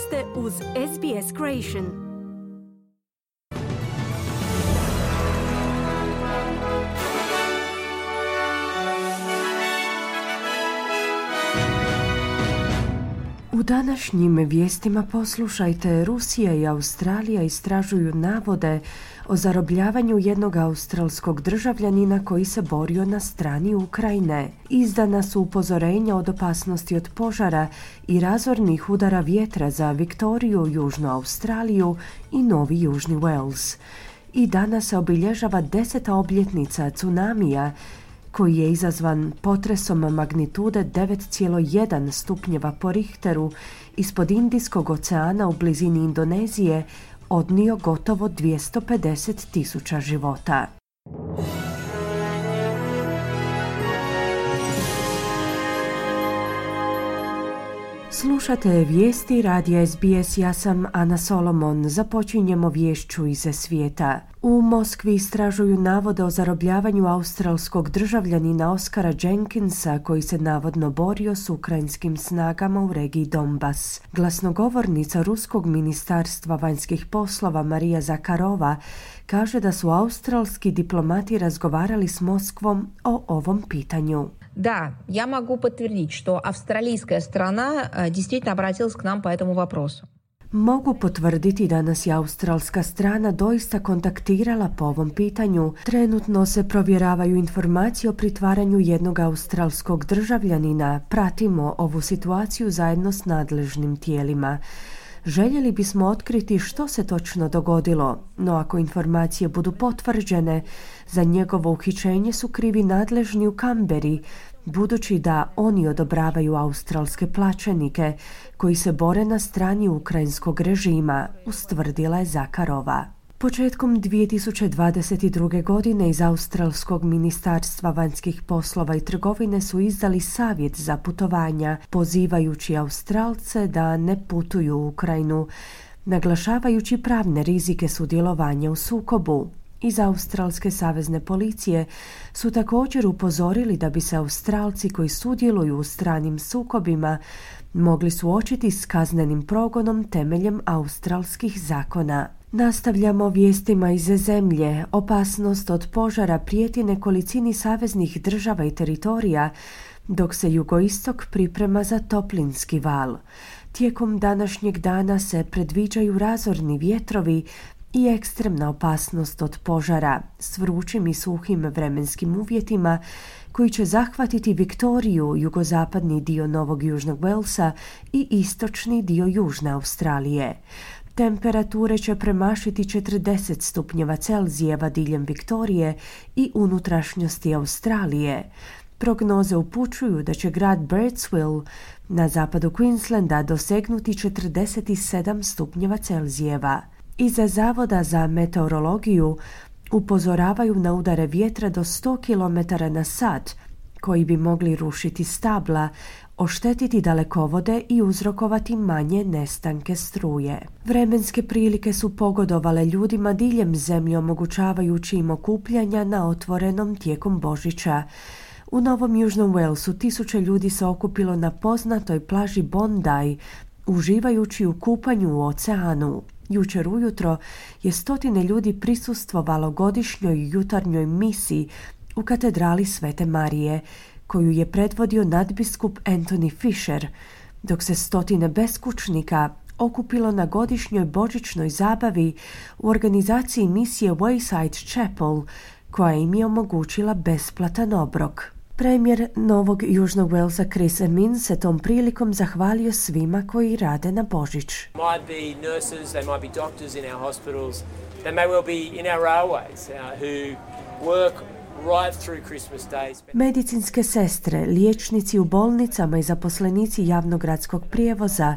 ste uz SBS Creation. U današnjim vijestima poslušajte, Rusija i Australija istražuju navode o zarobljavanju jednog australskog državljanina koji se borio na strani Ukrajine. Izdana su upozorenja od opasnosti od požara i razornih udara vjetra za Viktoriju, Južnu Australiju i Novi Južni Wales. I danas se obilježava 10. obljetnica tsunamija koji je izazvan potresom magnitude 9,1 stupnjeva po Richteru ispod Indijskog oceana u blizini Indonezije odnio gotovo 250.000 života. Slušate vijesti radija SBS, ja sam Ana Solomon. Započinjemo viješću iz svijeta. U Moskvi istražuju navode o zarobljavanju australskog državljanina Oskara Jenkinsa koji se navodno borio s ukrajinskim snagama u regiji Donbas. Glasnogovornica Ruskog ministarstva vanjskih poslova Marija Zakharova kaže da su australski diplomati razgovarali s Moskvom o ovom pitanju. Да, я могу подтвердить, что австралийская сторона действительно обратилась к нам по этому вопросу. Mogu potvrditi da nas je australska strana doista kontaktirala po ovom pitanju. Trenutno se provjeravaju informacije o pritvaranju jednog australskog državljanina. Pratimo ovu situaciju zajedno s nadležnim tijelima. Željeli bismo otkriti što se točno dogodilo, no ako informacije budu potvrđene, za njegovo uhićenje su krivi nadležni u Kamberi, budući da oni odobravaju australske plaćenike koji se bore na strani ukrajinskog režima, ustvrdila je Zakharova. Početkom 2022. godine iz Australskog ministarstva vanjskih poslova i trgovine su izdali savjet za putovanja, pozivajući Australce da ne putuju u Ukrajinu, naglašavajući pravne rizike sudjelovanja u sukobu. Iz Australske savezne policije su također upozorili da bi se Australci koji sudjeluju u stranim sukobima mogli suočiti s kaznenim progonom temeljem australskih zakona. Nastavljamo vijestima iz zemlje. Opasnost od požara prijeti nekolicini saveznih država i teritorija, dok se jugoistok priprema za toplinski val. Tijekom današnjeg dana se predviđaju razorni vjetrovi i ekstremna opasnost od požara s vrućim i suhim vremenskim uvjetima koji će zahvatiti Viktoriju, jugozapadni dio Novog Južnog Walesa i istočni dio Južne Australije. Temperature će premašiti 40 stupnjeva Celzijeva diljem Viktorije i unutrašnjosti Australije. Prognoze upućuju da će grad Birdsville na zapadu Queenslanda dosegnuti 47 stupnjeva Celzijeva. Iza Zavoda za meteorologiju upozoravaju na udare vjetra do 100 km na sat, koji bi mogli rušiti stabla, oštetiti dalekovode i uzrokovati manje nestanke struje. Vremenske prilike su pogodovale ljudima diljem zemlje, omogućavajući im okupljanja na otvorenom tijekom Božića. U Novom Južnom Walesu 1000 ljudi se okupilo na poznatoj plaži Bondi, uživajući u kupanju u oceanu. Jučer ujutro je 100 ljudi prisustvovalo godišnjoj jutarnjoj misiji u katedrali Svete Marije, koju je predvodio nadbiskup Anthony Fisher, dok se 100 beskućnika okupilo na godišnjoj božićnoj zabavi u organizaciji misije Wayside Chapel, koja im je omogućila besplatan obrok. Premijer Novog Južnog Walesa Chris Minns se tom prilikom zahvalio svima koji rade na Božić. Might be nurses, they might be doctors in our hospitals, they may well be in our railways who work right through Christmas days. Medicinske sestre, liječnici u bolnicama i zaposlenici javnog gradskog prijevoza,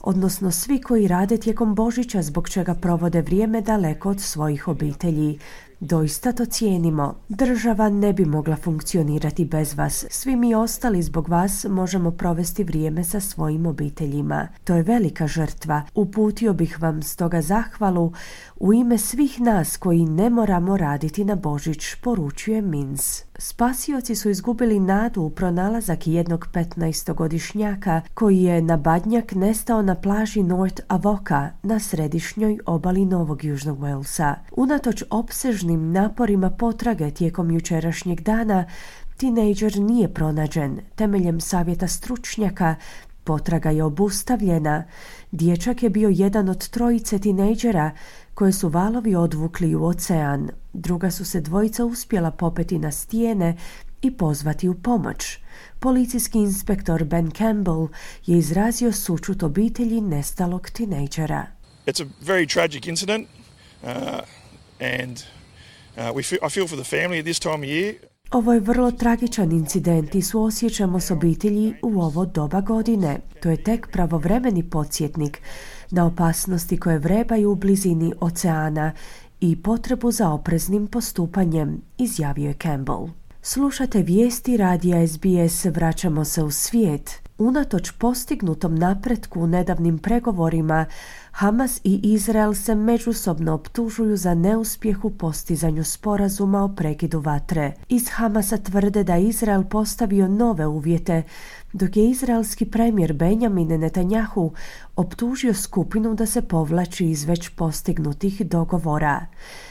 odnosno svi koji rade tijekom Božića zbog čega provode vrijeme daleko od svojih obitelji. Doista to cijenimo. Država ne bi mogla funkcionirati bez vas. Svi mi ostali zbog vas možemo provesti vrijeme sa svojim obiteljima. To je velika žrtva. Uputio bih vam stoga zahvalu u ime svih nas koji ne moramo raditi na Božić, poručuje Minns. Spasioci su izgubili nadu u pronalazak jednog 15-godišnjaka koji je na badnjak nestao na plaži North Avoca na središnjoj obali Novog Južnog Walesa. Unatoč opsežnim naporima potrage tijekom jučerašnjeg dana, tinejdžer nije pronađen. Temeljem savjeta stručnjaka, potraga je obustavljena. Dječak je bio jedan od trojice tinejdžera koje su valovi odvukli u ocean. Druga su se dvojica uspjela popeti na stijene i pozvati u pomoć. Policijski inspektor Ben Campbell je izrazio sućut obitelji nestalog tinejdžera. It's a very tragic incident and I feel for the family at this time of year. Ovo je vrlo tragičan incident i suosjećamo s obitelji u ovo doba godine. To je tek pravovremeni podsjetnik na opasnosti koje vrebaju u blizini oceana i potrebu za opreznim postupanjem, izjavio je Campbell. Slušate vijesti radija SBS, vraćamo se u svijet. Unatoč postignutom napretku u nedavnim pregovorima, Hamas i Izrael se međusobno optužuju za neuspjeh u postizanju sporazuma o prekidu vatre. Iz Hamasa tvrde da Izrael postavio nove uvjete, dok je izraelski premijer Benjamin Netanjahu optužio skupinu da se povlači iz već postignutih dogovora.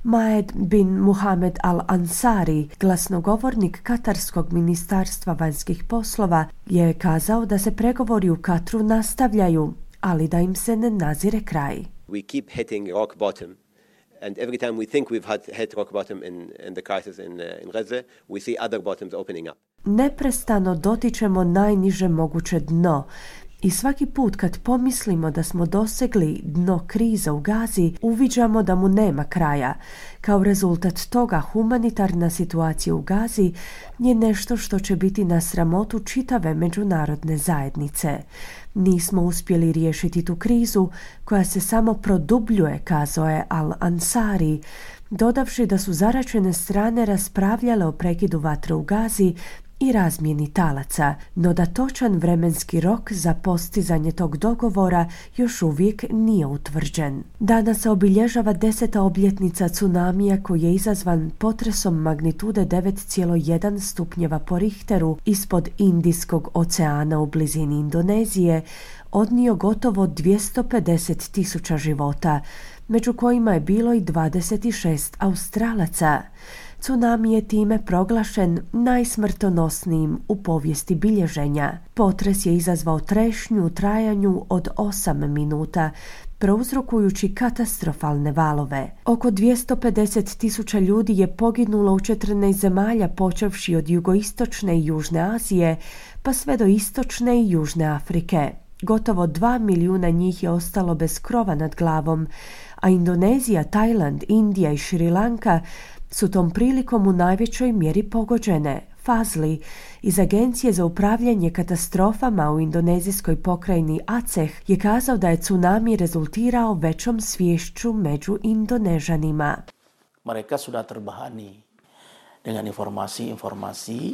Maed bin Muhamed al-Ansari, glasnogovornik Katarskog ministarstva vanjskih poslova, je kazao da se pregovori u Katru nastavljaju, ali da im se ne nazire kraj. We keep hitting rock bottom. And every time we think we've hit rock bottom in the crisis in Gaza, we see other bottoms opening up. Neprestano dotičemo najniže moguće dno i svaki put kad pomislimo da smo dosegli dno krize u Gazi, uviđamo da mu nema kraja. Kao rezultat toga, humanitarna situacija u Gazi je nešto što će biti na sramotu čitave međunarodne zajednice. Nismo uspjeli riješiti tu krizu koja se samo produbljuje, kazao je Al-Ansari, dodavši da su zaračene strane raspravljale o prekidu vatre u Gazi i razmjeni talaca, no da točan vremenski rok za postizanje tog dogovora još uvijek nije utvrđen. Danas se obilježava 10. obljetnica tsunamija koji je izazvan potresom magnitude 9,1 stupnjeva po Richteru ispod Indijskog oceana u blizini Indonezije, odnio gotovo 250.000 života, među kojima je bilo i 26 Australaca. Tsunami je time proglašen najsmrtonosnijim u povijesti bilježenja. Potres je izazvao trešnju u trajanju od 8 minuta, prouzrokujući katastrofalne valove. Oko 250.000 ljudi je poginulo u 14 zemalja, počevši od jugoistočne i južne Azije, pa sve do istočne i južne Afrike. Gotovo 2 milijuna njih je ostalo bez krova nad glavom, a Indonezija, Tajland, Indija i Šri Lanka su tom prilikom u najvećoj mjeri pogođene. Fazli iz Agencije za upravljanje katastrofama u indonezijskoj pokrajini Aceh je kazao da je tsunami rezultirao većom sviješću među Indonežanima. Mereka sudah terbahani dengan informasi.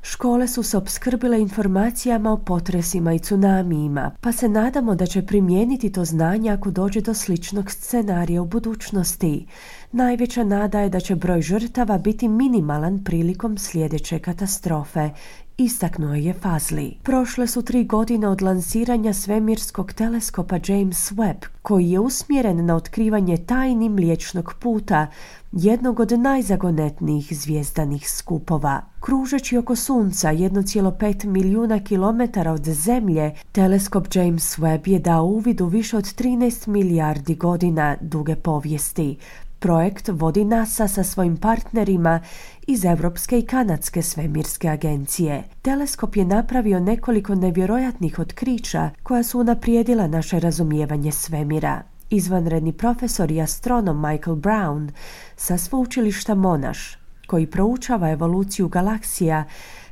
Škole su se opskrbile informacijama o potresima i tsunamijima, pa se nadamo da će primijeniti to znanje ako dođe do sličnog scenarija u budućnosti. Najveća nada je da će broj žrtava biti minimalan prilikom sljedeće katastrofe, istaknuo je Fazli. Prošle su 3 godine od lansiranja svemirskog teleskopa James Webb, koji je usmjeren na otkrivanje tajni Mliječnog puta, jednog od najzagonetnijih zvijezdanih skupova. Kružeći oko Sunca 1,5 milijuna kilometara od Zemlje, teleskop James Webb je dao uvid u više od 13 milijardi godina duge povijesti. Projekt vodi NASA sa svojim partnerima iz Europske i Kanadske svemirske agencije. Teleskop je napravio nekoliko nevjerojatnih otkrića koja su unaprijedila naše razumijevanje svemira. Izvanredni profesor i astronom Michael Brown sa sveučilišta Monash, koji proučava evoluciju galaksija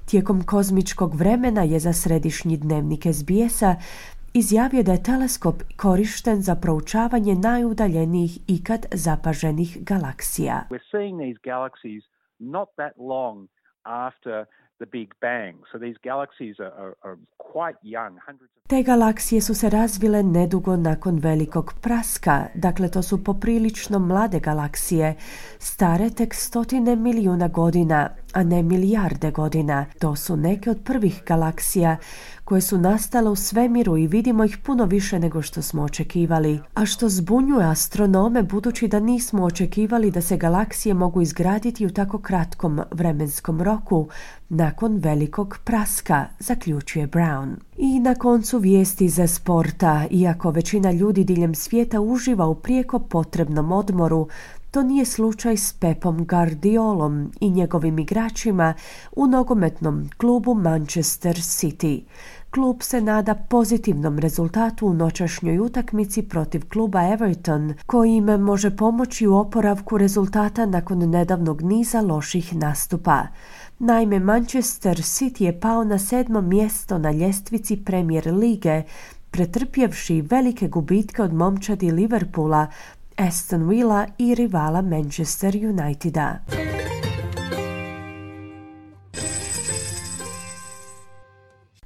tijekom kozmičkog vremena, je za središnji dnevnik SBS-a izjavio da je teleskop korišten za proučavanje najudaljenijih ikad zapaženih galaksija. We're seeing these galaxies not that long after the Big Bang. So these galaxies are quite young, hundreds of... Te galaksije su se razvile nedugo nakon velikog praska, dakle to su poprilično mlade galaksije, stare tek 100 milijuna godina, a ne milijarde godina. To su neke od prvih galaksija koje su nastale u svemiru i vidimo ih puno više nego što smo očekivali. A što zbunjuje astronome budući da nismo očekivali da se galaksije mogu izgraditi u tako kratkom vremenskom roku nakon velikog praska, zaključuje Brown. I na koncu vijesti za sporta. Iako većina ljudi diljem svijeta uživa u prijeko potrebnom odmoru, to nije slučaj s Pepom Guardiolom i njegovim igračima u nogometnom klubu Manchester City. Klub se nada pozitivnom rezultatu u noćašnjoj utakmici protiv kluba Everton, koji im može pomoći u oporavku rezultata nakon nedavnog niza loših nastupa. Naime, Manchester City je pao na 7. mjesto na ljestvici Premier lige, pretrpjevši velike gubitke od momčadi Liverpoola, Aston Villa i rivala Manchester Uniteda.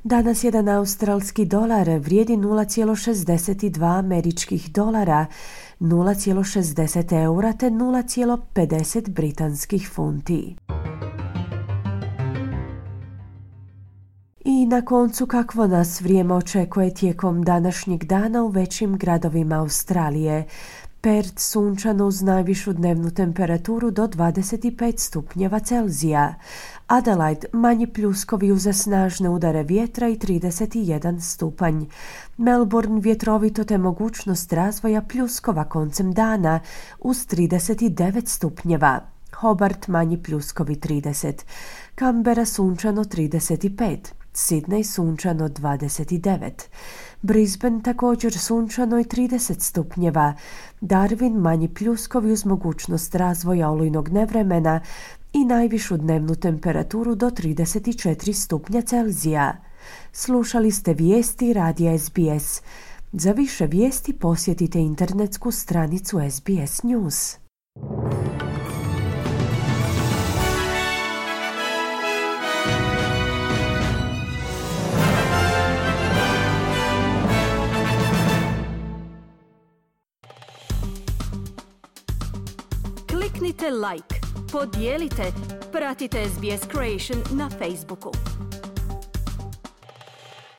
Danas jedan australski dolar vrijedi 0,62 američkih dolara, 0,60 eura te 0,50 britanskih funti. I na koncu kakvo nas vrijeme očekuje tijekom današnjeg dana u većim gradovima Australije. Perth sunčano uz najvišu dnevnu temperaturu do 25 stupnjeva Celzija. Adelaide manji pljuskovi uz snažne udare vjetra i 31 stupanj. Melbourne vjetrovito te mogućnost razvoja pljuskova koncem dana uz 39 stupnjeva. Hobart manji pljuskovi 30. Canberra sunčano 35. Sydney sunčano 29. Brisbane također sunčano i 30 stupnjeva. Darwin manji pljuskovi uz mogućnost razvoja olujnog nevremena i najvišu dnevnu temperaturu do 34 stupnja Celzija. Slušali ste vijesti radija SBS. Za više vijesti posjetite internetsku stranicu SBS News. Kliknite like, podijelite, pratite SBS Creation na Facebooku.